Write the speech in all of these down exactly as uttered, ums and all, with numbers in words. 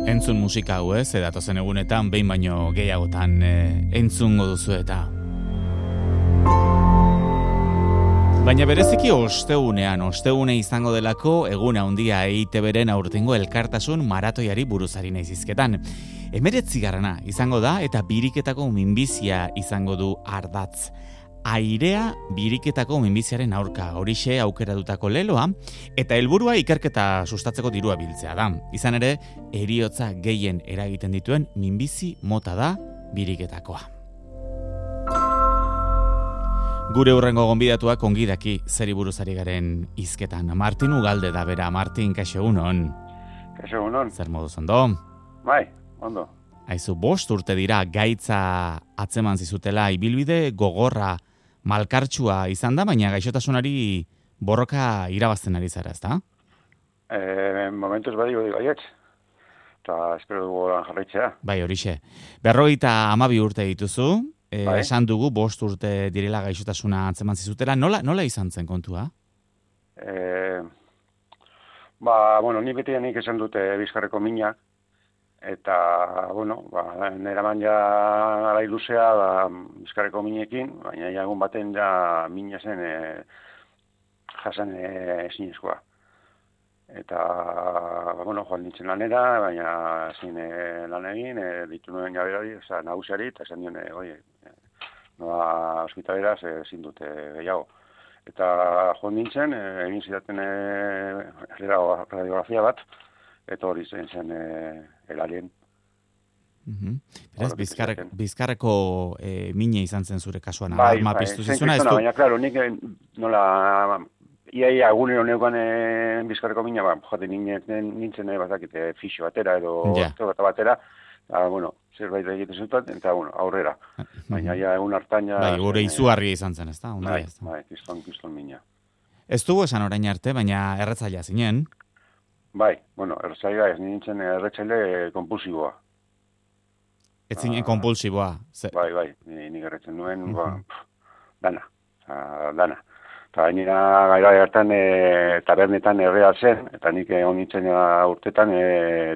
Entzun musika hau ez, edatozen egunetan, behin baino gehiagotan e, entzungo duzu eta. Baina bereziki ostegunean, ostegune izango delako, eguna handia E I Te Beren aurtengo elkartasun maratoiari buruzari naizizketan. Emeretzi garrana izango da eta biriketako minbizia izango du ardatz. Airea biriketako minbiziaren aurka, horixe aukeratutako leloa, eta helburua ikerketa sustatzeko dirua biltzea da. Izan ere, heriotza gehien eragiten dituen minbizi mota da biriketakoa. Gure hurrengo gonbidatuak ongi daki zeri buruzari garen hizketan. Martin Ugalde da bera. Martin, kaixo egunon. Kaixo egunon. Zer moduz ondo? Bai, ondo. Aizu, bost urte dira gaitza atzeman zizutela, ibilbide gogorra, malkartsua izan da, baina gaixotasunari borroka irabazten ari zara, ezta? Eh, momentuz badi hori baietz. Eta espero dugu lan jarraitzea. Bai, horixe. Berrogeita hamabi urte dituzu, e, bai. Esan dugu bost urte direla gaixotasuna atzeman zizutela. Nola, nola izan zen kontua? Eh, ba, bueno, ni beti nik esan dute bizkarreko minak. Eta, bueno, ba, nera man ja gara iluzea da bizkarreko minekin, baina jagun baten ja mina zen e, jasan ezinezkoa. Eta, ba, bueno, joan nintzen lanera, baina ezin e, lan egin, e, ditu nuen jaberari, oza, nagusiari, eta esan dione, oie, e, noa hospitaleraz ezin dute gehiago. Eta joan nintzen, e, egin zidaten e, radiografia bat, eta hori zen zen e, elalien. Uh-huh. Beraz, bizkarrek, bizkarreko e, mine izan zen zure kasuan, bai, arma bai, piztu zen zizuna. kristona, baina, klaro, nik nola, iaia egunero neukan e, bizkarreko mina, ba, jate nintzen, nintzen e, bazakite, fixo batera edo ja. Bat batera, eta, bueno, zerbait egiten zutat, eta, bueno, aurrera. Baina, ja, egun hartan, ja... Bai, gure izugarria izan zen, ez da? Bai, bai, kriston, kriston mina. Ez dugu esan orain arte, baina erretzailea zinen. Bai, bueno, erretzailea ez nintzen erretzaile kompulsiboa. Ez zinen ah, kompulsiboa. Ze... Bai, bai, nik erretzen nuen, uh-huh. ba, pff, dana, a, dana. Eta nira gaira hartan e, tabernetan errea zen, eta nik egon nintzen urtetan e,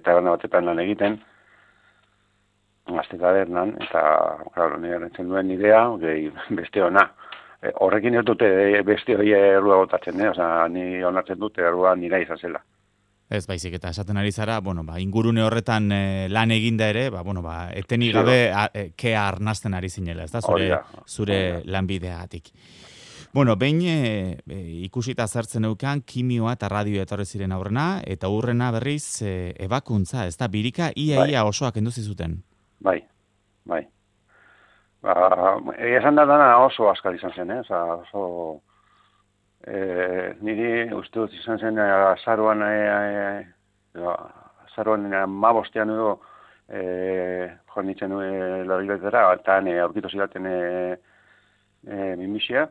taberna batetan lan egiten, gazte tabernan, eta, claro, nire erretzen duen idea, gehi, beste ona. E, horrekin ez dute beste hori errua botatzen, eh? Osa, ni onartzen dute errua nira izan zela. Ez baizik eta esaten ari zara, bueno, ba, ingurune horretan e, lan eginda ere, ba, bueno, ba, etenik gabe a, e, kea arnasten ari zinela, ez da, zure, Oria. zure Oria. lanbideatik. Bueno, behin e, e, ikusita zertzen eukan, kimioa eta radio etorri ziren aurrena, eta hurrena berriz e, ebakuntza, ez da, birika ia ia bai. Osoak enduzi zuten. Bai, bai. Ba, esan da dana oso askal izan zen, eh? Osa, oso... E, niri uste dut izan zen azaruan e, e, azaruan mabostean edo e, joan nintzen e, loriletera, eta e, aurkitu zidaten e, e, minbizia,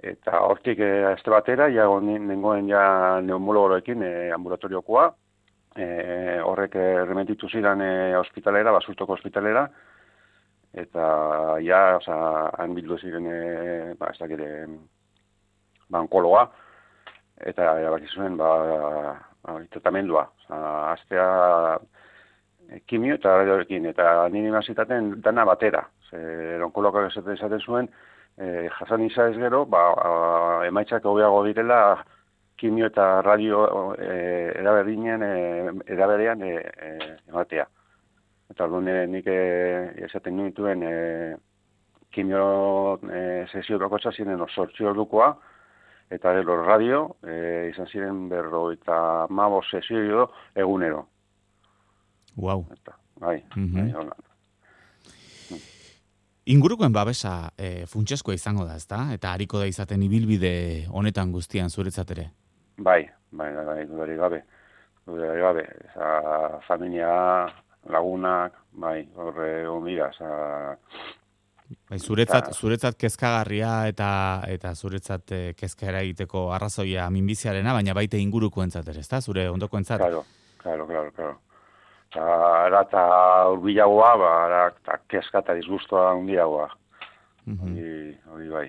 eta hortik e, este batera, ja nengoen ja neumologoroekin e, ambulatoriokoa, e, horrek e, remetitu zidan e, hospitalera, basurtoko hospitalera, eta ja, oza, han bildu ziren, e, ba, ez dakire, ba, onkologa, eta erabaki zuen, ba, ba, tratamendua. Aztea e, kimio eta radioekin, eta nini mazitaten dana batera. Zer onkologak esaten zuen, e, jasan izan ez gero, ba, a, emaitzak hobeago direla kimio eta radio e, eraberdinen, e, eraberean e, e, ematea. Eta orduan nik e, esaten nituen e, kimio e, sesio bakotza ziren sortzi ordukoa, eta gero radio, e, izan ziren berro eta mabo sesio egunero. Wow. Eta, bai, mm-hmm. bai, Ingurukoen babesa e, funtsezkoa izango da, ezta? Eta hariko da izaten ibilbide honetan guztian zuretzat ere? Bai, bai, bai, bai, dudari gabe. Dudari gabe. Eza, familia, lagunak, bai, horre omira, eza... Bai, zuretzat, zuretzat kezkagarria eta eta zuretzat eh, kezka eragiteko arrazoia minbiziarena, baina baita ingurukoentzat ere, ezta? Zure ondokoentzat? Claro, claro, claro, claro. Ta ara ta hurbilagoa, ba, ara ta kezka ta disgustoa handiagoa. Mhm. Hori, hori bai.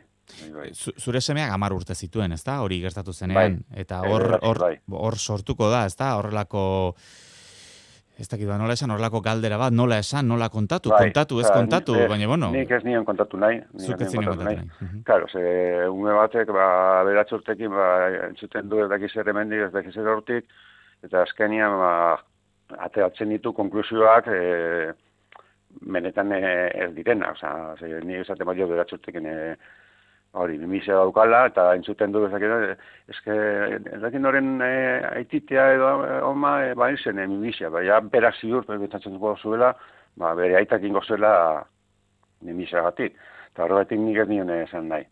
Bai. Zure semeak hamar urte zituen, ezta? Hori gertatu zenean, bai. Eta hor hor hor sortuko da, ezta? Horrelako ez dakit ba, nola esan, horlako galdera bat, nola esan, nola kontatu, bai, kontatu, ez ba, kontatu, ez, baina, bueno. Nik ez nion kontatu nahi. Zuk ez nion kontatu nahi. nahi. Claro, ze ume batek, ba, beratxurtekin, ba, entzuten du ez dakiz ere mendik, ez dakiz ere hortik, eta azkenian, ba, ateratzen ditu konklusioak, e, benetan e, ez direna, oza, ze, ni esaten bat jo beratxurtekin, e, hori, mimizia daukala, eta entzuten du ezakera, eske, ezakin horren e, aititea edo oma, e, ba, izen, e, mimizia, ba, ja, berak ziur, betatzen dugu zuela, ba, bere aitak ingo zuela mimizia gatik, eta horregatik nik ez nion esan nahi.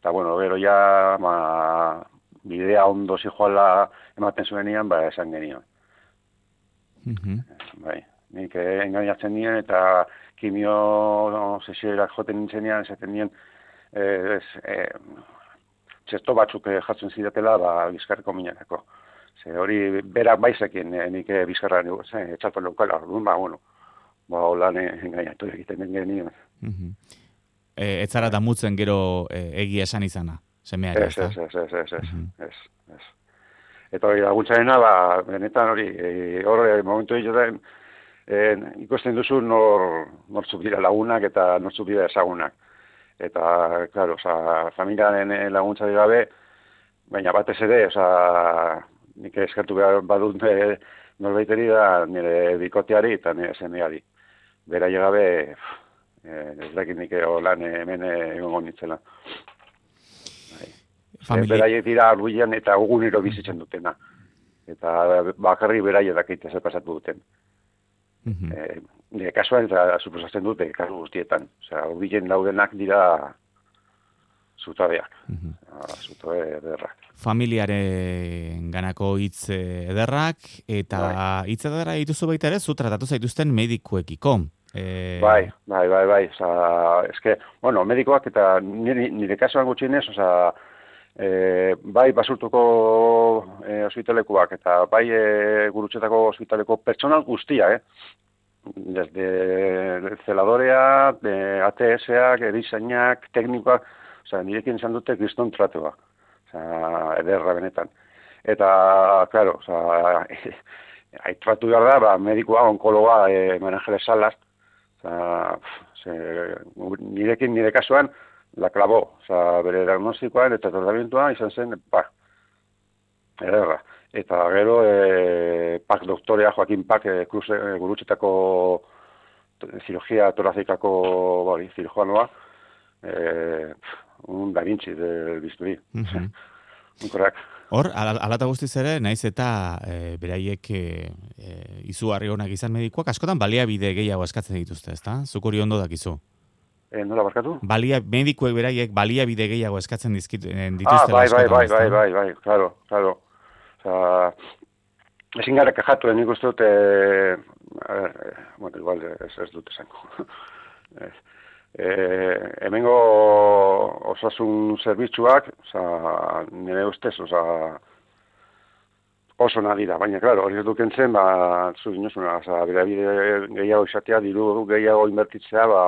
Eta, bueno, gero ja, ba, bidea ondo zijoala ematen zuenian, ba, esan genion. Mm-hmm. Bai, nik eh, engainatzen nien, eta kimio no, sesioerak joten nintzenean, esaten nien, Eh, ez, eh, txesto batzuk eh, jartzen zidatela, ba, bizkarreko minarako. Ze hori berak baizekin, eh, nik eh, bizkarra eh, etxatu leukala, orduan, ba, bueno, ba, holan eh, engainatu egiten den genien. Mm-hmm. eh, ez zara damutzen gero eh, egia esan izana, semeari, ez, ez, ez, ez, ez, ez, ez, ez. Eta hori laguntzarena, ba, benetan hori, e, hori momentu egiten, e, ikusten duzu nor, nortzuk dira lagunak eta nortzuk dira ezagunak. Eta, klaro, oza, familiaren laguntzari gabe, baina batez ere, oza, nik eskertu behar badut e, norbaiteri da nire bikoteari eta nire semeari. Berai gabe, e, ez dakit nik lan hemen egongo nintzela. Familie... Beraiek dira arbuian eta egunero bizitzen dutena. Eta bakarri beraiek dakite zer pasatu duten. Mm-hmm. E, nire kasuan eta suposatzen dute kasu guztietan. Osea, urbilen daudenak dira zutabeak. Mm-hmm. Zutabe ederrak. Familiaren ganako hitz ederrak, eta bai. Hitz ederra dituzu baita ere, zu tratatu zaituzten medikuekiko. E... Bai, bai, bai, bai. Osea, eske, bueno, medikoak eta nire, nire kasuan gutxienez, osea, e, bai basurtuko e, ospitalekuak eta bai e, gurutxetako ospitaleko pertsonal guztia, eh? Desde zeladorea, de A T S-ak, erizainak, teknikoak, osea, nirekin izan dute kriston tratua. Osea, ederra benetan. Eta, claro, osea, aitratu behar da, ba, medikoa, onkologa, e, Manangeles Salas, osea, nirekin nire kasuan, la clavó, osea, bere diagnostikoan eta tratamentua izan zen, pa, ederra. Eta gero, e, Pak doktorea, Joaquin Pak, e, Cruz, e, gurutxetako cirugía torazikako bori, cirujoanoa, e, un Da Vinci del bisturi. Mm-hmm. Un korrak. Hor, alata guztiz ere, naiz eta e, beraiek e, e, izugarri honak izan medikoak, askotan baliabide gehiago eskatzen dituzte, ezta? Zuk hori ondo dakizu. E, nola barkatu? Balia, medikuek beraiek baliabide gehiago eskatzen dizkit, dituzte. Ah, bai, bai, bai, bai, bai, bai, claro, claro. Osa, ezin gara kajatu, nik uste dute, a ver, bueno, igual ez, ez dute zango. e, hemengo osasun zerbitzuak, oza, nire ustez, oza, oso nadira, baina, klaro, hori ez dukentzen, ba, zu dinozuna, oza, bide gehiago izatea, diru gehiago inbertitzea, ba,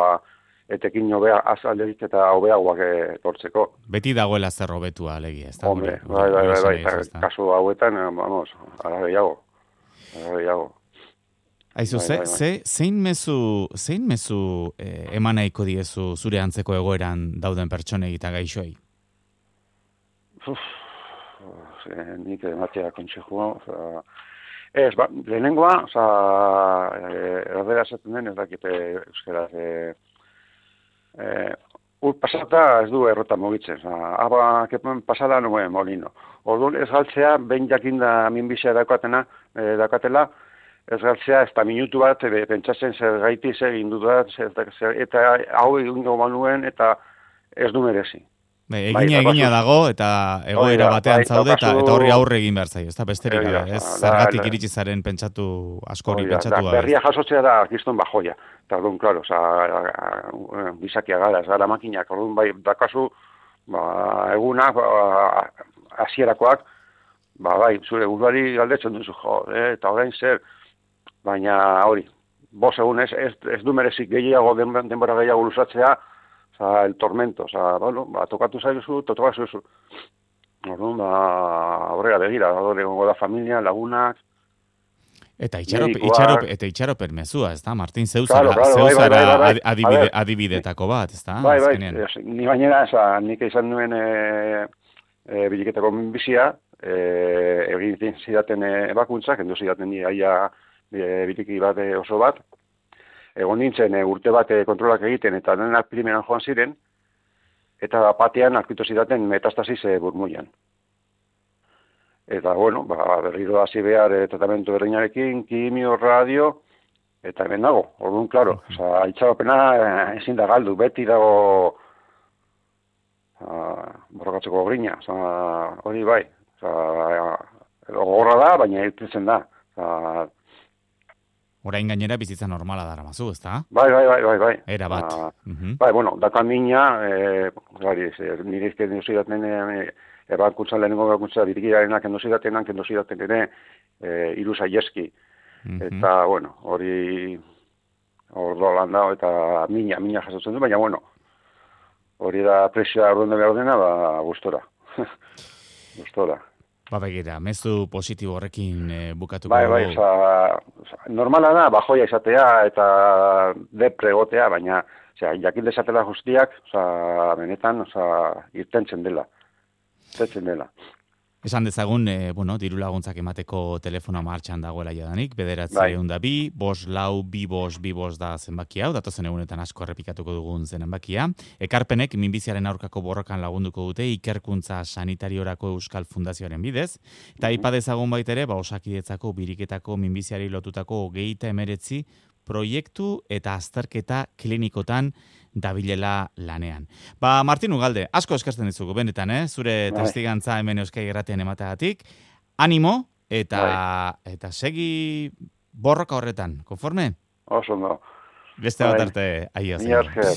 etekin hobea azalderik eta hobeagoak etortzeko. Beti dagoela zer hobetua alegia, ez da? Hombre, bai, bai, bai, bai, bai, kasu hauetan, vamos, ara gehiago, ara gehiago. Aizu, bai, ze, bai, bai. ze, zein mezu, zein mezu eh, eman nahiko diezu zure antzeko egoeran dauden pertsonei eta gaixoei? Uf, nik ematea kontsejua, oza, ez, ba, lehenengoa, oza, erdera esaten den, ez dakite euskaraz, eh, Eh, ur pasata ez du errota mugitzen. Aba, kepen pasada nuen molino. Orduan ez galtzea, behin jakinda minbizia daukatena, eh, daukatela, ez galtzea, ez da minutu bat, e, pentsatzen zer gaiti, zer indudat, eta hau egingo manuen, eta ez du merezi. Be, egina bai, egina dago, eta egoera bai, batean bai, zaude, eta, eta horri aurre egin behar zaio, ez da besterik gabe, ez zergatik iritsi zaren pentsatu, askori pentsatu gabe. Berria jasotzea da, kiston bajoia. Eta orduan, klaro, bizakia gara, ez gara makinak, orduan bai, dakazu, ba, egunak, hasierakoak, ba, bai, zure buruari galdetzen duzu, jo, eh, eta orain zer, baina hori, bos egun ez, ez, ez du merezik gehiago, denbora gehiago luzatzea, oza, el tormento, oza, bueno, ba, tokatu zaizu, tokatu zaizu. Orduan, ba, aurrera begira, adore gongo da familia, lagunak. Eta itxarop, itxarop, eta itxaropen mezua, ez da, Martin, zeuzara, claro, claro, zeuzara bai, bai, bai, bai. adibide, adibidetako bat, ez da? Bai, bai, ni bainera, nik izan nuen e, e, biliketako minbizia, e, egin zidaten ebakuntzak, kendu zidaten ni aia e, biliki bat e, oso bat, egon nintzen e, urte bat e, kontrolak egiten, eta denak primeran joan ziren, eta batean aurkitu zidaten metastasis e, burmuian. Eta, bueno, ba, berriro hasi behar e, tratamentu berdinarekin, kimio, radio, eta hemen dago, orduan, klaro. Osa, itxaropena e, ezin da galdu, beti dago borrokatzeko grina. Osa, hori bai. Osa, gogorra da, baina irtetzen da. Osa, orain gainera bizitza normala dara mazu, ez da? Bai, bai, bai, bai, bai. Era bat. Uh, uh -huh. Bai, bueno, dakan mina, e, gari, nire izken duzidaten, e, ebakuntzan lehenengo ebakuntza birikirarenak endozidatenak endozidaten ere e, iru saieski. Uh -huh. Eta, bueno, hori ordo lan da, eta mina, mina jasotzen du, baina, bueno, hori da presioa orduan behar dena, ba, gustora. Gustora. Ba, begira, mezu positibo horrekin e, bukatuko. Bai, bai, oza, oza, normala da, bajoia izatea eta depre egotea, baina, oza, jakin desatela guztiak, oza, benetan, oza, irtentzen dela. Irtentzen dela. Esan dezagun, e, bueno, diru laguntzak emateko telefono martxan dagoela jadanik, bederatzi bai. egun da bi, bos lau, bi bos, bi bos da zenbaki hau, datozen egunetan asko errepikatuko dugun zenbakia. Ekarpenek minbiziaren aurkako borrokan lagunduko dute ikerkuntza sanitariorako Euskal Fundazioaren bidez, eta mm-hmm. ipa dezagun baitere, ba, Osakidetzako biriketako minbiziari lotutako hogeita emeretzi proiektu eta azterketa klinikotan dabilela lanean. Ba, Martin Ugalde, asko eskertzen dizugu, benetan, eh? Zure bai. testigantza hemen Euskai Irratian emateagatik. Animo, eta bai. eta segi borroka horretan, konforme? Oso no. Beste bat arte, aio. Ni esker.